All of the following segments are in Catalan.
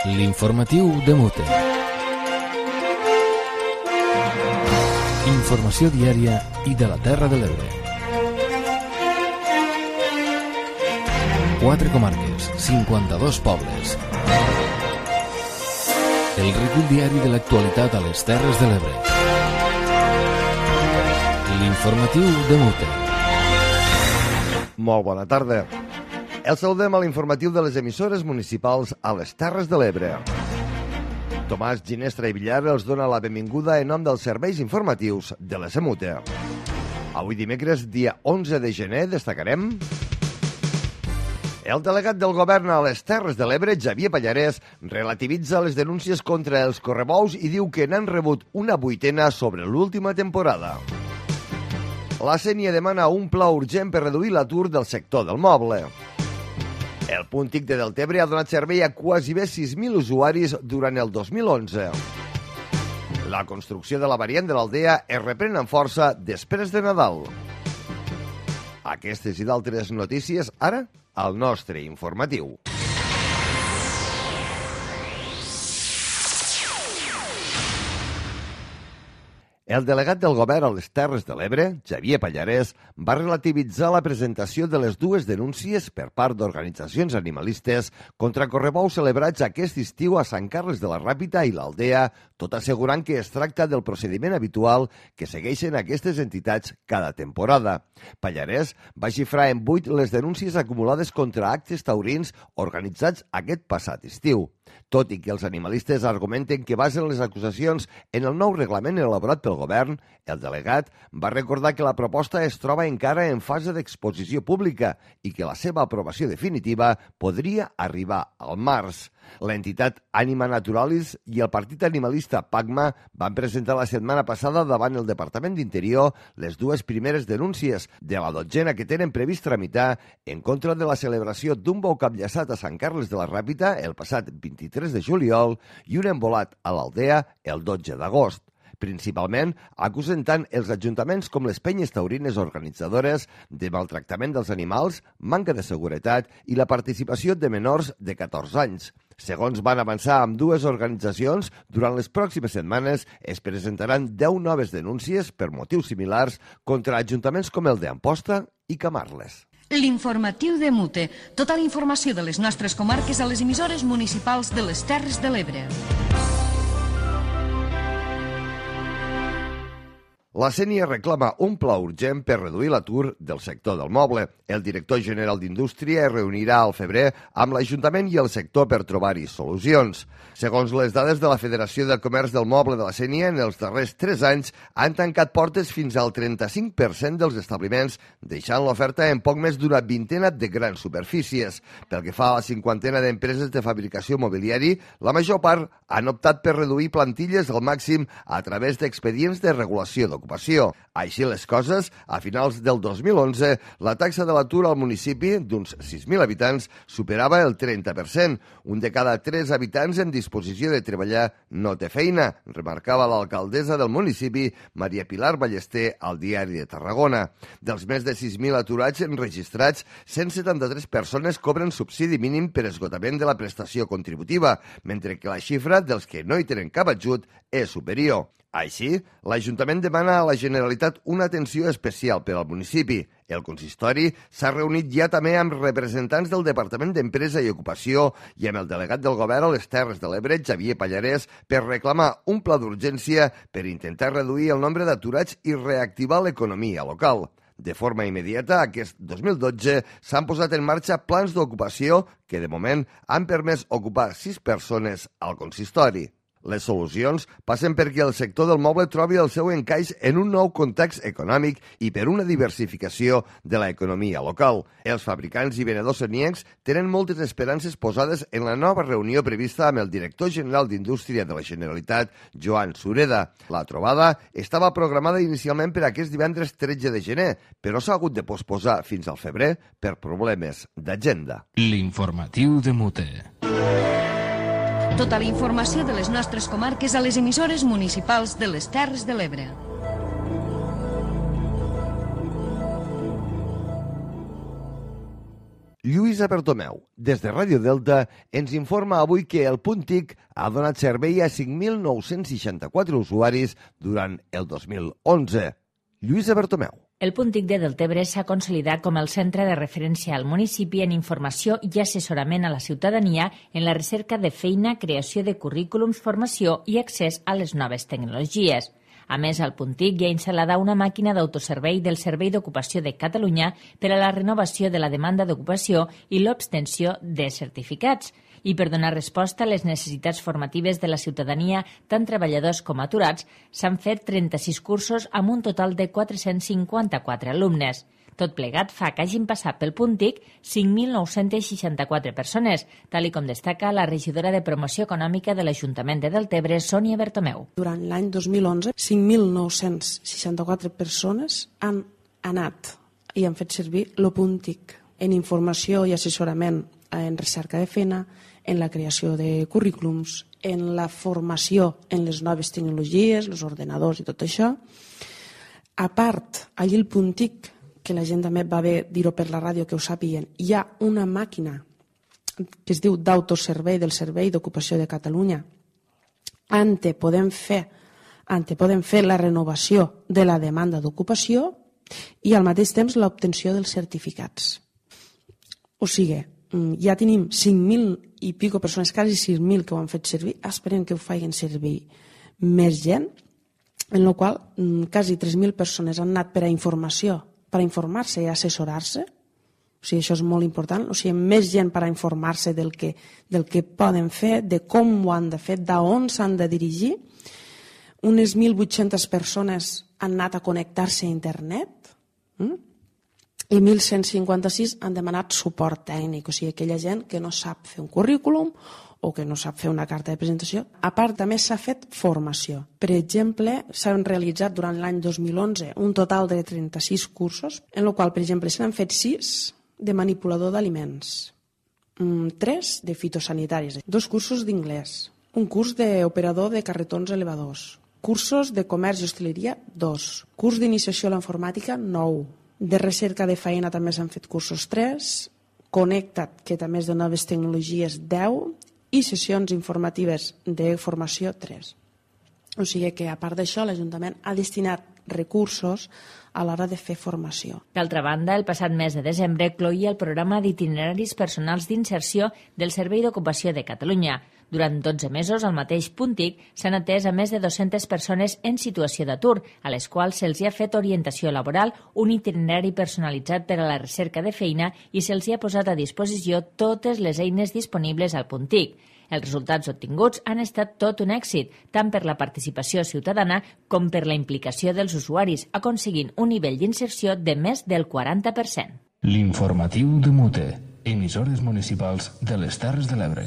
L'informatiu de Mute. Informació diària i de la Terra de l'Ebre. 4 comarques, 52 pobles. El recull diari de l'actualitat a les Terres de l'Ebre. L'informatiu de Mute. Molt bona tarda. El saludem a l'informatiu de les emissores municipals a les Terres de l'Ebre. Tomàs Ginestra i Villar els dona la benvinguda en nom dels serveis informatius de la Semute. Avui dimecres, dia 11 de gener, destacarem... El delegat del govern a les Terres de l'Ebre, Xavier Pallarès, relativitza les denúncies contra els correbous i diu que n'han rebut una vuitena sobre l'última temporada. La Sénia demana un pla urgent per reduir l'atur del sector del moble. El punt TIC de Deltebre ha donat servei a quasi bé 6.000 usuaris durant el 2011. La construcció de la variant de l'Aldea es reprèn amb força després de Nadal. Aquestes i d'altres notícies, ara, al nostre informatiu. El delegat del govern a les Terres de l'Ebre, Xavier Pallarès, va relativitzar la presentació de les dues denúncies per part d'organitzacions animalistes contra correbous celebrats aquest estiu a Sant Carles de la Ràpita i l'Aldea, tot assegurant que es tracta del procediment habitual que segueixen aquestes entitats cada temporada. Pallarès va xifrar en 8 les denúncies acumulades contra actes taurins organitzats aquest passat estiu. Tot i que els animalistes argumenten que basen les acusacions en el nou reglament elaborat pel govern, el delegat va recordar que la proposta es troba encara en fase d'exposició pública i que la seva aprovació definitiva podria arribar al març. L'entitat Anima Naturalis i el partit animalista PACMA van presentar la setmana passada davant el Departament d'Interior les dues primeres denúncies de la 12a que tenen previst tramitar en contra de la celebració d'un bou capllaçat a Sant Carles de la Ràpita el passat 23 de juliol i un embolat a l'Aldea el 12 d'agost. Principalment, acusen tant els ajuntaments com les penyes taurines organitzadores de maltractament dels animals, manca de seguretat i la participació de menors de 14 anys. Segons van avançar amb dues organitzacions, durant les pròximes setmanes es presentaran 10 noves denúncies per motius similars contra ajuntaments com el d'Amposta i Camarles. L'informatiu de Mute. Tota la informació de les nostres comarques a les emissores municipals de les Terres de l'Ebre. La Sénia reclama un pla urgent per reduir l'atur del sector del moble. El director general d'Indústria es reunirà al febrer amb l'Ajuntament i el sector per trobar-hi solucions. Segons les dades de la Federació del Comerç del Moble de la Sénia, en els darrers 3 anys han tancat portes fins al 35% dels establiments, deixant l'oferta en poc més d'una vintena de grans superfícies. Pel que fa a la 50ena d'empreses de fabricació mobiliari, la major part han optat per reduir plantilles al màxim a través d'expedients de regulació d'ocupació. Així les coses, a finals del 2011, la taxa de l'atur al municipi, d'uns 6.000 habitants, superava el 30%. Un de cada 3 habitants en disposició de treballar no té feina, remarcava l'alcaldessa del municipi, Maria Pilar Ballester, al Diari de Tarragona. Dels més de 6.000 aturats enregistrats, 173 persones cobren subsidi mínim per esgotament de la prestació contributiva, mentre que la xifra dels que no hi tenen cap ajut és superior. Així, l'Ajuntament demana a la Generalitat una atenció especial per al municipi. El consistori s'ha reunit ja també amb representants del Departament d'Empresa i Ocupació i amb el delegat del govern a les Terres de l'Ebre, Xavier Pallarès, per reclamar un pla d'urgència per intentar reduir el nombre d'aturats i reactivar l'economia local. De forma immediata, aquest 2012 s'han posat en marxa plans d'ocupació que, de moment, han permès ocupar 6 persones al consistori. Les solucions passen perquè el sector del moble trobi el seu encaix en un nou context econòmic i per una diversificació de l'economia local. Els fabricants i venedors seniencs tenen moltes esperances posades en la nova reunió prevista amb el director general d'Indústria de la Generalitat, Joan Sureda. La trobada estava programada inicialment per aquest divendres 13 de gener, però s'ha hagut de posposar fins al febrer per problemes d'agenda. L'informatiu de Mute. Tota la informació de les nostres comarques a les emissores municipals de les Terres de l'Ebre. Lluïsa Bertomeu, des de Ràdio Delta, ens informa avui que el punt TIC ha donat servei a 5.964 usuaris durant el 2011. Lluïsa Bertomeu. El punt TIC de Deltebre s'ha consolidat com el centre de referència al municipi en informació i assessorament a la ciutadania en la recerca de feina, creació de currículums, formació i accés a les noves tecnologies. A més, al punt TIC hi ha instal·lada una màquina d'autoservei del Servei d'Ocupació de Catalunya per a la renovació de la demanda d'ocupació i l'obtenció de certificats. I per donar resposta a les necessitats formatives de la ciutadania, tant treballadors com aturats, s'han fet 36 cursos amb un total de 454 alumnes. Tot plegat fa que hagin passat pel punt TIC 5.964 persones, tal com destaca la regidora de Promoció Econòmica de l'Ajuntament de Deltebre, Sònia Bertomeu. Durant l'any 2011, 5.964 persones han anat i han fet servir el punt TIC en informació i assessorament en recerca de feina, en la creació de currículums, en la formació en les noves tecnologies, els ordenadors i tot això. A part, allí el punt TIC, que la gent també va bé dir-ho per la ràdio que ho sàpiguen, hi ha una màquina que es diu d'autoservei del Servei d'Ocupació de Catalunya. Podem fer la renovació de la demanda d'ocupació i al mateix temps l'obtenció dels certificats. O sigui, ja tenim 5.000 i pico persones, quasi 6.000 que ho han fet servir, esperem que ho facin servir més gent, en la qual quasi 3.000 persones han anat per a informació, per a informar-se i assessorar-se. O sigui, això és molt important. O sigui, més gent per a informar-se del que poden fer, de com ho han de fer, d'on s'han de dirigir. Unes 1.800 persones han anat a connectar-se a internet i 1.156 han demanat suport tècnic. O sigui, aquella gent que no sap fer un currículum o que no sap fer una carta de presentació. A part, també s'ha fet formació. Per exemple, s'han realitzat durant l'any 2011 un total de 36 cursos, en el qual, per exemple, s'han fet 6 de manipulador d'aliments, 3 de fitosanitaris, 2 cursos d'inglès, un curs d'operador de carretons elevadors, cursos de comerç i hostaleria, 2, curs d'iniciació a la informàtica, 9, de recerca de feina també s'han fet cursos 3, Connecta't, que també és de noves tecnologies, 10, i sessions informatives de formació 3. O sigui que, a part d'això, l'Ajuntament ha destinat recursos a l'hora de fer formació. D'altra banda, el passat mes de desembre cloïa el programa d'itineraris personals d'inserció del Servei d'Ocupació de Catalunya. Durant 12 mesos, al mateix punt TIC, s'han atès a més de 200 persones en situació d'atur, a les quals se'ls ha fet orientació laboral, un itinerari personalitzat per a la recerca de feina i se'ls ha posat a disposició totes les eines disponibles al punt TIC. Els resultats obtinguts han estat tot un èxit, tant per la participació ciutadana com per la implicació dels usuaris, aconseguint un nivell d'inserció de més del 40%. L'informatiu de Mute, emissores municipals de les Terres de l'Ebre.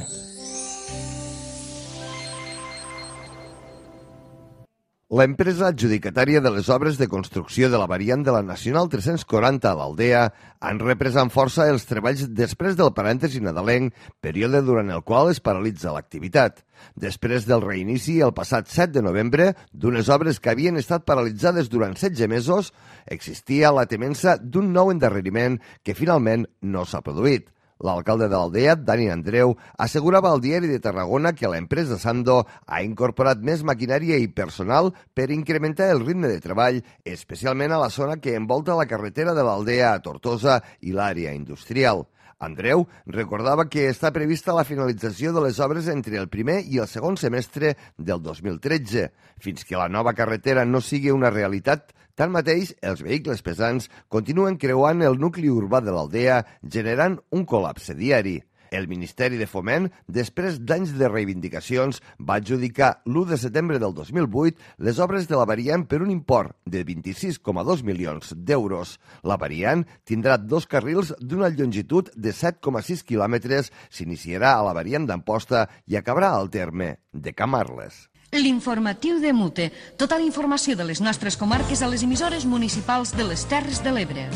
L'empresa adjudicatària de les obres de construcció de la variant de la Nacional 340 a l'Aldea han reprès amb força els treballs després del parèntesi nadalenc, període durant el qual es paralitza l'activitat. Després del reinici, el passat 7 de novembre, d'unes obres que havien estat paralitzades durant 16 mesos, existia la temença d'un nou endarreriment que finalment no s'ha produït. L'alcalde de l'Aldea, Dani Andreu, assegurava al Diari de Tarragona que l'empresa Sando ha incorporat més maquinària i personal per incrementar el ritme de treball, especialment a la zona que envolta la carretera de l'Aldea a Tortosa i l'àrea industrial. Andreu recordava que està prevista la finalització de les obres entre el primer i el segon semestre del 2013. Fins que la nova carretera no sigui una realitat, tanmateix, els vehicles pesants continuen creuant el nucli urbà de l'Aldea, generant un col·lapse diari. El Ministeri de Foment, després d'anys de reivindicacions, va adjudicar l'1 de setembre del 2008 les obres de la variant per un import de 26,2 milions d'euros. La variant tindrà 2 carrils d'una longitud de 7,6 quilòmetres, s'iniciarà a la variant d'Amposta i acabarà al terme de Camarles. L'informatiu de Mute. Tota la informació de les nostres comarques a les emissores municipals de les Terres de l'Ebre.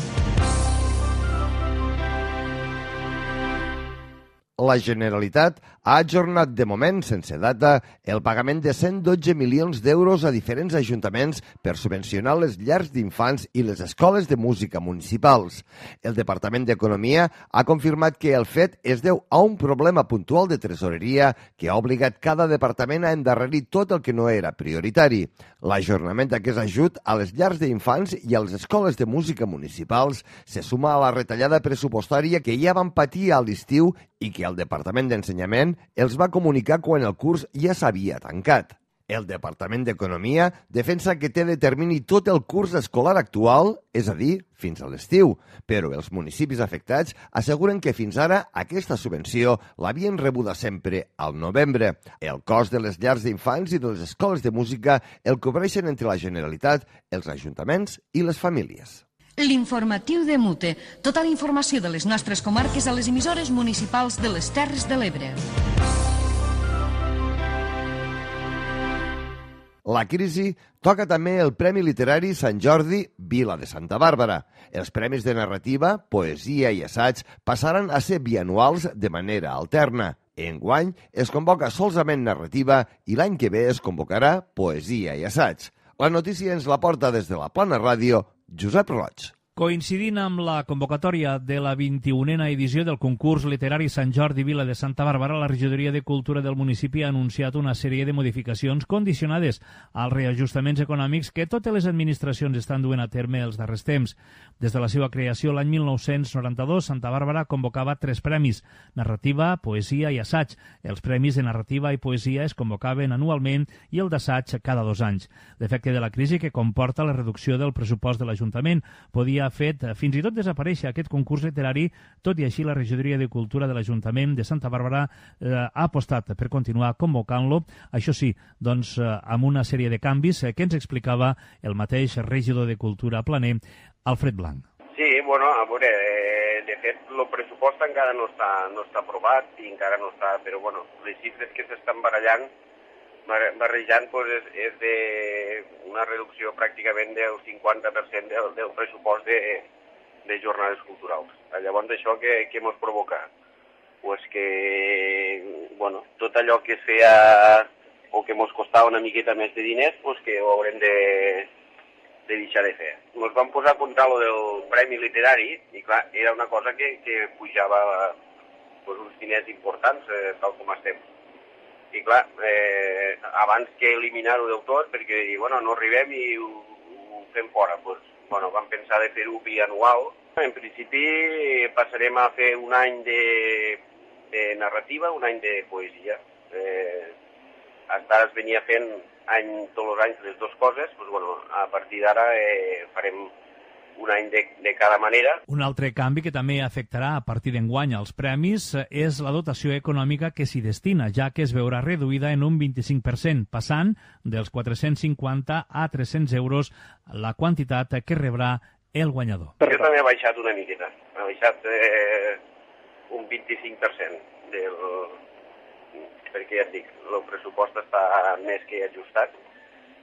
la Generalitat ha ajornat de moment, sense data, el pagament de 112 milions d'euros a diferents ajuntaments per subvencionar les llars d'infants i les escoles de música municipals. El Departament d'Economia ha confirmat que el fet es deu a un problema puntual de tresoreria que ha obligat cada departament a endarrerir tot el que no era prioritari. L'ajornament d'aquest ajut a les llars d'infants i a les escoles de música municipals se suma a la retallada pressupostària que ja van patir a l'estiu i que el Departament d'Ensenyament els va comunicar quan el curs ja s'havia tancat. El Departament d'Economia defensa que té de termini tot el curs escolar actual, és a dir, fins a l'estiu, però els municipis afectats asseguren que fins ara aquesta subvenció l'havien rebuda sempre al novembre. El cost de les llars d'infants i de les escoles de música el cobreixen entre la Generalitat, els ajuntaments i les famílies. L'informatiu de Mute. Tota la informació de les nostres comarques a les emissores municipals de les Terres de l'Ebre. La crisi toca també el Premi Literari Sant Jordi Vila de Santa Bàrbara. Els premis de narrativa, poesia i assaig passaran a ser bianuals de manera alterna. Enguany es convoca solament narrativa i l'any que ve es convocarà poesia i assaig. La notícia ens la porta des de la Plana Ràdio Josep Roig. Coincidint amb la convocatòria de la 21a edició del concurs literari Sant Jordi Vila de Santa Bàrbara, la Regidoria de Cultura del municipi ha anunciat una sèrie de modificacions condicionades als reajustaments econòmics que totes les administracions estan duent a terme els darrers temps. Des de la seva creació l'any 1992, Santa Bàrbara convocava 3 premis, narrativa, poesia i assaig. Els premis de narrativa i poesia es convocaven anualment i el d'assaig cada 2 anys. L'efecte de la crisi que comporta la reducció del pressupost de l'Ajuntament ha fet fins i tot desaparèixer aquest concurs literari, tot i així la Regidoria de Cultura de l'Ajuntament de Santa Bàrbara ha apostat per continuar convocant-lo, això sí, doncs amb una sèrie de canvis que ens explicava el mateix regidor de Cultura planer, Alfred Blanc. Sí, bueno, a veure, de fet el pressupost encara no està aprovat i encara no està, però bueno, les xifres que s'estan barrejant és d'una reducció pràcticament del 50% del pressupost de jornades culturals. Llavors, això què ens provoca? Pues que, bueno, tot allò que es feia o que ens costava una miqueta més de diners, pues que ho haurem de deixar de fer. Ens vam posar a comptar lo del Premi Literari i, clar, era una cosa que pujava pues, uns diners importants, tal com estem. I clar, abans que eliminar-ho del tot, perquè bueno, no arribem i ho fem fora, doncs, bueno, vam pensar de fer-ho bianual. En principi passarem a fer un any de narrativa, un any de poesia. Fins ara es venia fent tots els anys les dues coses, doncs, bueno, a partir d'ara farem un any de cada manera. Un altre canvi que també afectarà a partir d'enguany als premis és la dotació econòmica que s'hi destina, ja que es veurà reduïda en un 25%, passant dels 450 a 300 euros la quantitat que rebrà el guanyador. Jo també he baixat una miqueta, he baixat un 25%, perquè ja et dic, el pressupost està més que ajustat,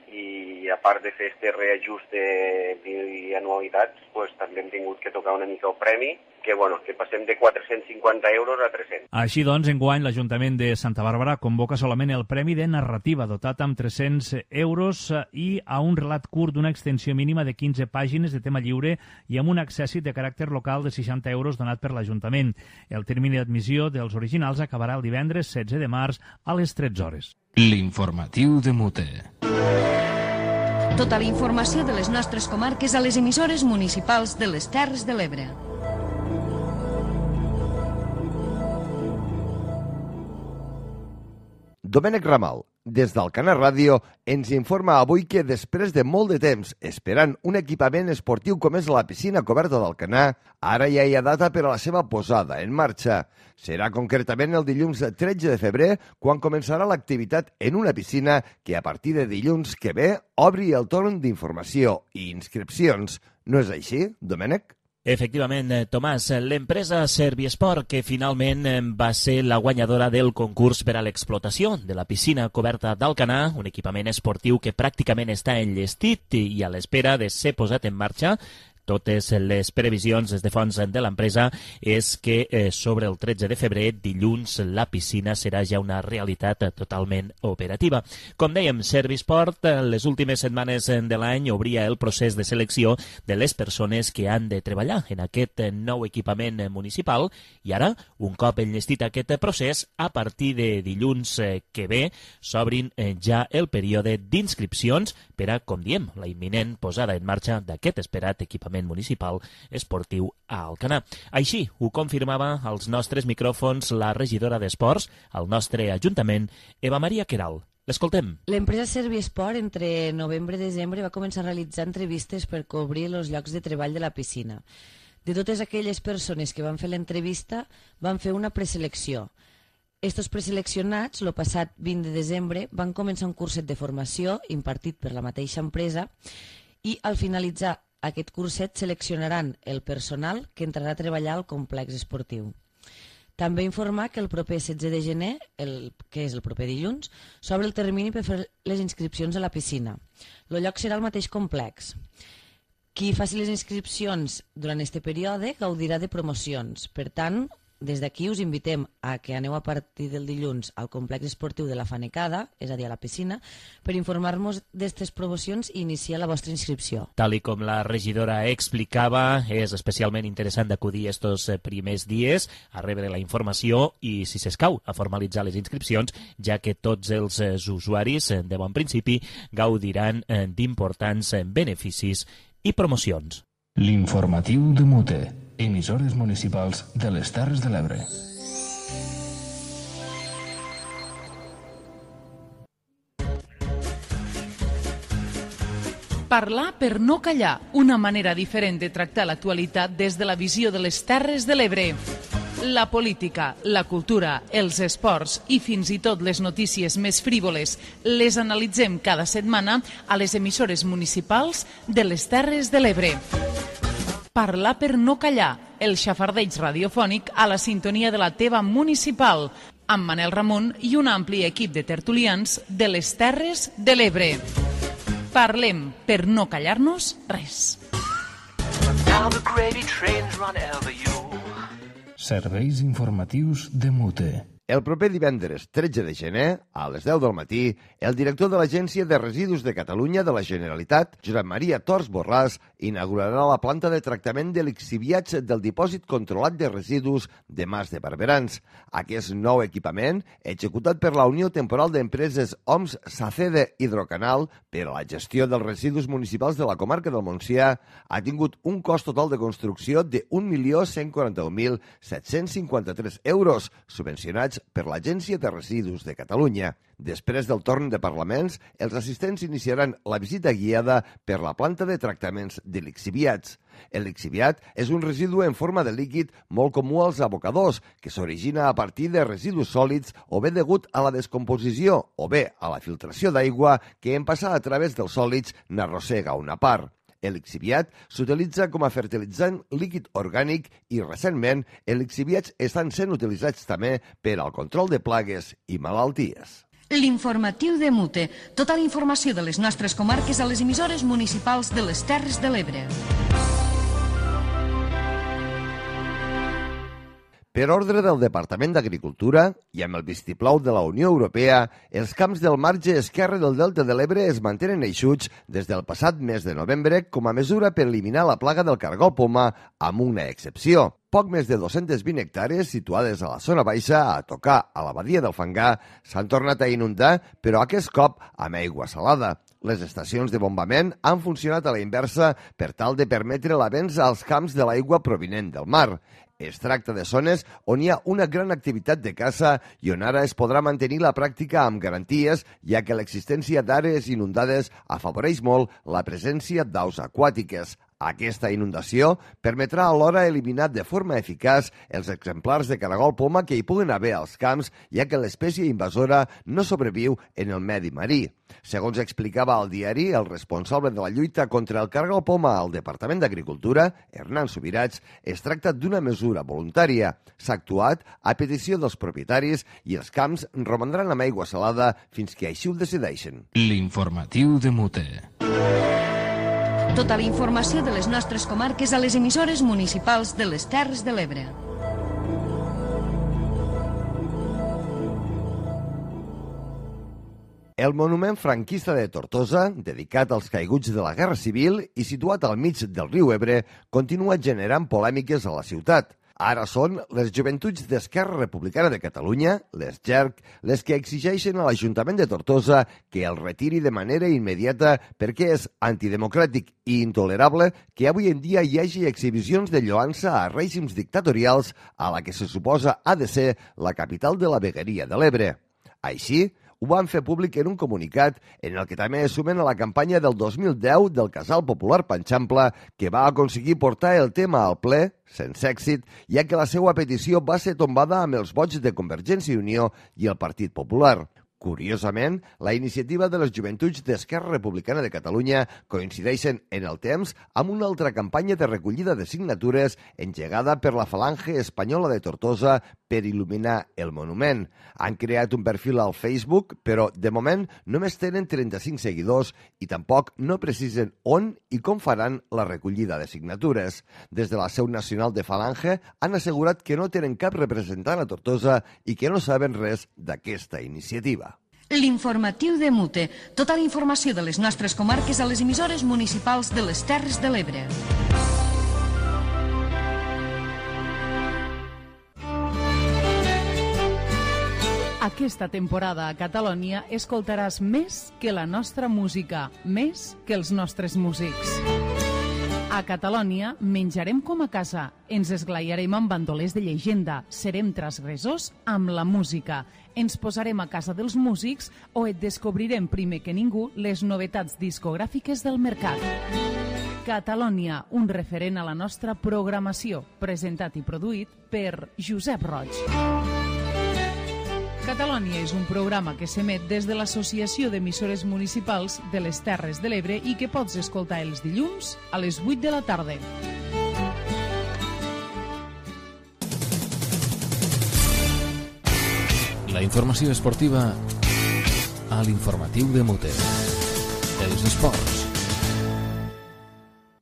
i a part de fer este reajust de bianualitats, pues, també hem tingut que tocar una mica el premi, que passem de 450 euros a 300. Així doncs, enguany l'Ajuntament de Santa Bàrbara convoca solament el Premi de Narrativa, dotat amb 300 euros i a un relat curt d'una extensió mínima de 15 pàgines de tema lliure i amb un accèssit de caràcter local de 60 euros donat per l'Ajuntament. El termini d'admissió dels originals acabarà el divendres 16 de març a les 13 hores. L'informatiu de Mute. Tota la informació de les nostres comarques a les emissores municipals de les Terres de l'Ebre. Domènec Ramal, des d'Alcanar Ràdio, ens informa avui que després de molt de temps esperant un equipament esportiu com és la piscina coberta d'Alcanar, ara ja hi ha data per a la seva posada en marxa. Serà concretament el dilluns 13 de febrer quan començarà l'activitat en una piscina que a partir de dilluns que ve obri el torn d'informació i inscripcions. No és així, Domènec? Efectivament, Tomàs, l'empresa Serviesport, que finalment va ser la guanyadora del concurs per a l'explotació de la piscina coberta d'Alcanar, un equipament esportiu que pràcticament està enllestit i a l'espera de ser posat en marxa, totes les previsions des de fonts de l'empresa és que sobre el 13 de febrer, dilluns, la piscina serà ja una realitat totalment operativa. Com dèiem, Servisport, les últimes setmanes de l'any obria el procés de selecció de les persones que han de treballar en aquest nou equipament municipal i ara, un cop enllestit aquest procés, a partir de dilluns que ve, s'obrin ja el període d'inscripcions per a, com diem, la imminent posada en marxa d'aquest esperat equipament municipal esportiu a Alcanar. Així ho confirmava als nostres micròfons la regidora d'Esports al nostre Ajuntament, Eva Maria Queralt. L'escoltem. L'empresa Servisport entre novembre i desembre va començar a realitzar entrevistes per cobrir els llocs de treball de la piscina. De totes aquelles persones que van fer l'entrevista, van fer una preselecció. Estos preseleccionats, el passat 20 de desembre, van començar un curset de formació impartit per la mateixa empresa i al finalitzar aquest curset seleccionaran el personal que entrarà a treballar al complex esportiu. També informar que el proper 16 de gener, que és el proper dilluns, s'obre el termini per fer les inscripcions a la piscina. El lloc serà el mateix complex. Qui faci les inscripcions durant aquest període gaudirà de promocions. Per tant, des d'aquí us invitem a que aneu a partir del dilluns al complex esportiu de la Fanecada, és a dir, a la piscina, per informar-nos d'aquestes promocions i iniciar la vostra inscripció. Tal i com la regidora explicava, és especialment interessant d'acudir estos primers dies a rebre la informació i, si s'escau, a formalitzar les inscripcions, ja que tots els usuaris, de bon principi, gaudiran d'importants beneficis i promocions. L'informatiu de Mute, emissores municipals de les Terres de l'Ebre. Parlar per no callar, una manera diferent de tractar l'actualitat des de la visió de les Terres de l'Ebre. La política, la cultura, els esports i fins i tot les notícies més frívoles les analitzem cada setmana a les emissores municipals de les Terres de l'Ebre. Parlar per no callar, el xafardeig radiofònic a la sintonia de la teva municipal, amb Manel Ramon i un ampli equip de tertulians de les Terres de l'Ebre. Parlem per no callar-nos res. Serveis informatius de Mute. El proper divendres 13 de gener, a les 10 del matí, el director de l'Agència de Residus de Catalunya de la Generalitat, Josep Maria Tors Borràs, inaugurarà la planta de tractament de lixiviats del dipòsit controlat de residus de Mas de Barberans. Aquest nou equipament, executat per la Unió Temporal d'Empreses OMS Sacede Hidrocanal per a la gestió dels residus municipals de la comarca del Montsià, ha tingut un cost total de construcció de 1.141.753 euros, subvencionats per l'Agència de Residus de Catalunya. Després del torn de parlaments, els assistents iniciaran la visita guiada per la planta de tractaments de lixiviats. El lixiviat és un residu en forma de líquid molt comú als abocadors, que s'origina a partir de residus sòlids o bé degut a la descomposició o bé a la filtració d'aigua que en passar a través dels sòlids n'arrossega una part. El lixiviat s'utilitza com a fertilitzant líquid orgànic i, recentment, els lixiviats estan sent utilitzats també per al control de plagues i malalties. L'informatiu de Mute. Tota la informació de les nostres comarques a les emissores municipals de les Terres de l'Ebre. Per ordre del Departament d'Agricultura i amb el vistiplau de la Unió Europea, els camps del marge esquerre del Delta de l'Ebre es mantenen eixuts des del passat mes de novembre com a mesura per eliminar la plaga del cargol poma, amb una excepció. Poc més de 220 hectàrees situades a la zona baixa, a tocar a la badia del Fangar, s'han tornat a inundar, però aquest cop amb aigua salada. Les estacions de bombament han funcionat a la inversa per tal de permetre l'avenç als camps de l'aigua provinent del mar. Es tracta de zones on hi ha una gran activitat de caça i on ara es podrà mantenir la pràctica amb garanties, ja que l'existència d'àrees inundades afavoreix molt la presència d'aus aquàtiques. Aquesta inundació permetrà alhora eliminar de forma eficaç els exemplars de caragol poma que hi puguen haver als camps, ja que l'espècie invasora no sobreviu en el medi marí. Segons explicava al diari el responsable de la lluita contra el caragol poma al Departament d'Agricultura, Hernán Subirats, es tracta d'una mesura voluntària. S'ha actuat a petició dels propietaris i els camps romandran amb aigua salada fins que així ho decideixen. L'informatiu de Mute. Tota la informació de les nostres comarques a les emissores municipals de les Terres de l'Ebre. El monument franquista de Tortosa, dedicat als caiguts de la Guerra Civil i situat al mig del riu Ebre, continua generant polèmiques a la ciutat. Ara són les joventuts d'Esquerra Republicana de Catalunya, les JERC, les que exigeixen a l'Ajuntament de Tortosa que el retiri de manera immediata perquè és antidemocràtic i intolerable que avui en dia hi hagi exhibicions de lloança a règims dictatorials a la que se suposa ha de ser la capital de la vegueria de l'Ebre. Així, ho van fer públic en un comunicat en el que també es sumen a la campanya del 2010 del Casal Popular Panxample, que va aconseguir portar el tema al ple, sense èxit, ja que la seva petició va ser tombada amb els vots de Convergència i Unió i el Partit Popular. Curiosament, la iniciativa de les joventuts d'Esquerra Republicana de Catalunya coincideixen en el temps amb una altra campanya de recollida de signatures engegada per la Falange Espanyola de Tortosa per il·luminar el monument. Han creat un perfil al Facebook, però de moment només tenen 35 seguidors i tampoc no precisen on i com faran la recollida de signatures. Des de la seu nacional de Falange han assegurat que no tenen cap representant a Tortosa i que no saben res d'aquesta iniciativa. L'informatiu de Mute. Tota la informació de les nostres comarques a les emissores municipals de les Terres de l'Ebre. Aquesta temporada a Catalunya escoltaràs més que la nostra música, més que els nostres músics. A Catalunya menjarem com a casa, ens esglaiarem amb bandolers de llegenda, serem transgressors amb la música, ens posarem a casa dels músics o et descobrirem primer que ningú les novetats discogràfiques del mercat. Catalunya, un referent a la nostra programació, presentat i produït per Josep Roig. Catalunya és un programa que s'emet des de l'Associació d'Emissores Municipals de les Terres de l'Ebre i que pots escoltar els dilluns a les 8 de la tarda. La informació esportiva a l'informatiu de Mute. Els esports.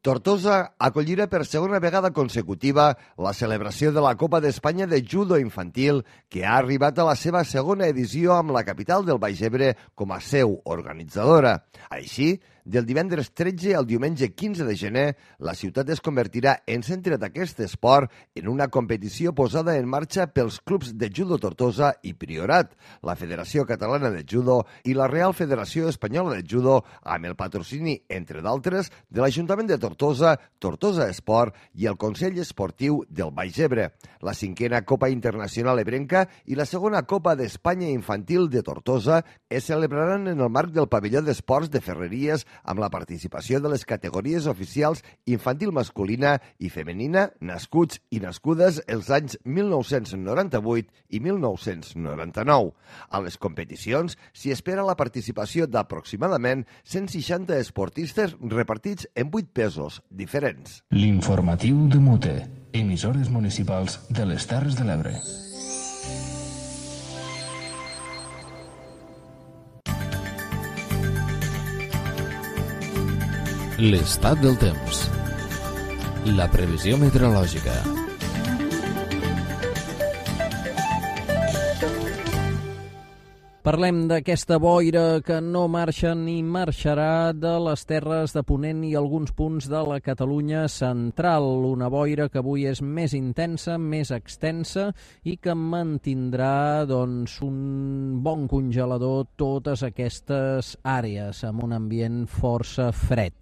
Tortosa acollirà per segona vegada consecutiva la celebració de la Copa d'Espanya de Judo Infantil, que ha arribat a la seva segona edició amb la capital del Baix Ebre com a seu organitzadora. Així, del divendres 13 al diumenge 15 de gener, la ciutat es convertirà en centre d'aquest esport en una competició posada en marxa pels clubs de Judo Tortosa i Priorat, la Federació Catalana de Judo i la Real Federació Espanyola de Judo, amb el patrocini, entre d'altres, de l'Ajuntament de Tortosa, Tortosa Esport i el Consell Esportiu del Baix Ebre. La 5a Copa Internacional Ebrenca i la 2a Copa d'Espanya Infantil de Tortosa es celebraran en el marc del pavelló d'esports de Ferreries amb la participació de les categories oficials infantil masculina i femenina nascuts i nascudes els anys 1998 i 1999. A les competicions s'hi espera la participació d'aproximadament 160 esportistes repartits en 8 pesos diferents. L'informatiu de Mute. Emissores municipals de les Terres de l'Ebre. L'estat del temps. La previsió meteorològica. Parlem d'aquesta boira que no marxa ni marxarà de les terres de Ponent i alguns punts de la Catalunya central. Una boira que avui és més intensa, més extensa i que mantindrà un bon congelador totes aquestes àrees amb un ambient força fred.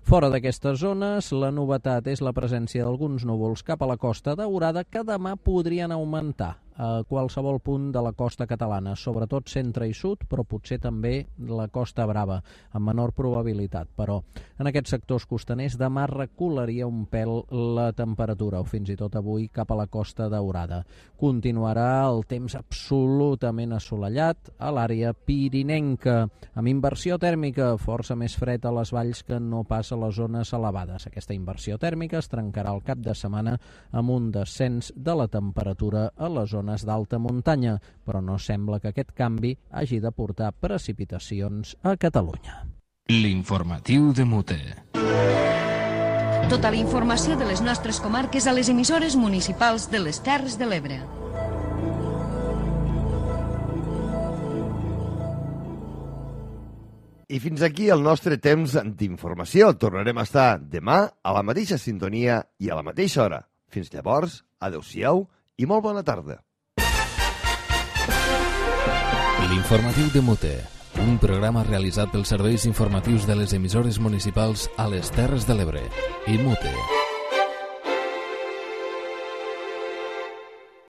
Fora d'aquestes zones, la novetat és la presència d'alguns núvols cap a la Costa Daurada que demà podrien augmentar a qualsevol punt de la costa catalana, sobretot centre i sud, però potser també la Costa Brava, amb menor probabilitat. Però en aquests sectors costaners demà recularia un pèl la temperatura, o fins i tot avui cap a la Costa Daurada. Continuarà el temps absolutament assolellat a l'àrea pirinenca, amb inversió tèrmica força més fred a les valls que no pas a les zones elevades. Aquesta inversió tèrmica es trencarà el cap de setmana amb un descens de la temperatura a les zones d'alta muntanya, però no sembla que aquest canvi hagi de portar precipitacions a Catalunya. L'informatiu de Mute. Tota la informació de les nostres comarques a les emissores municipals de les Terres de l'Ebre. I fins aquí el nostre temps d'informació. Tornarem a estar demà a la mateixa sintonia i a la mateixa hora. Fins llavors, adeu-siau i molt bona tarda. L'informatiu de Mute, un programa realitzat pels serveis informatius de les emissores municipals a les Terres de l'Ebre i Mute.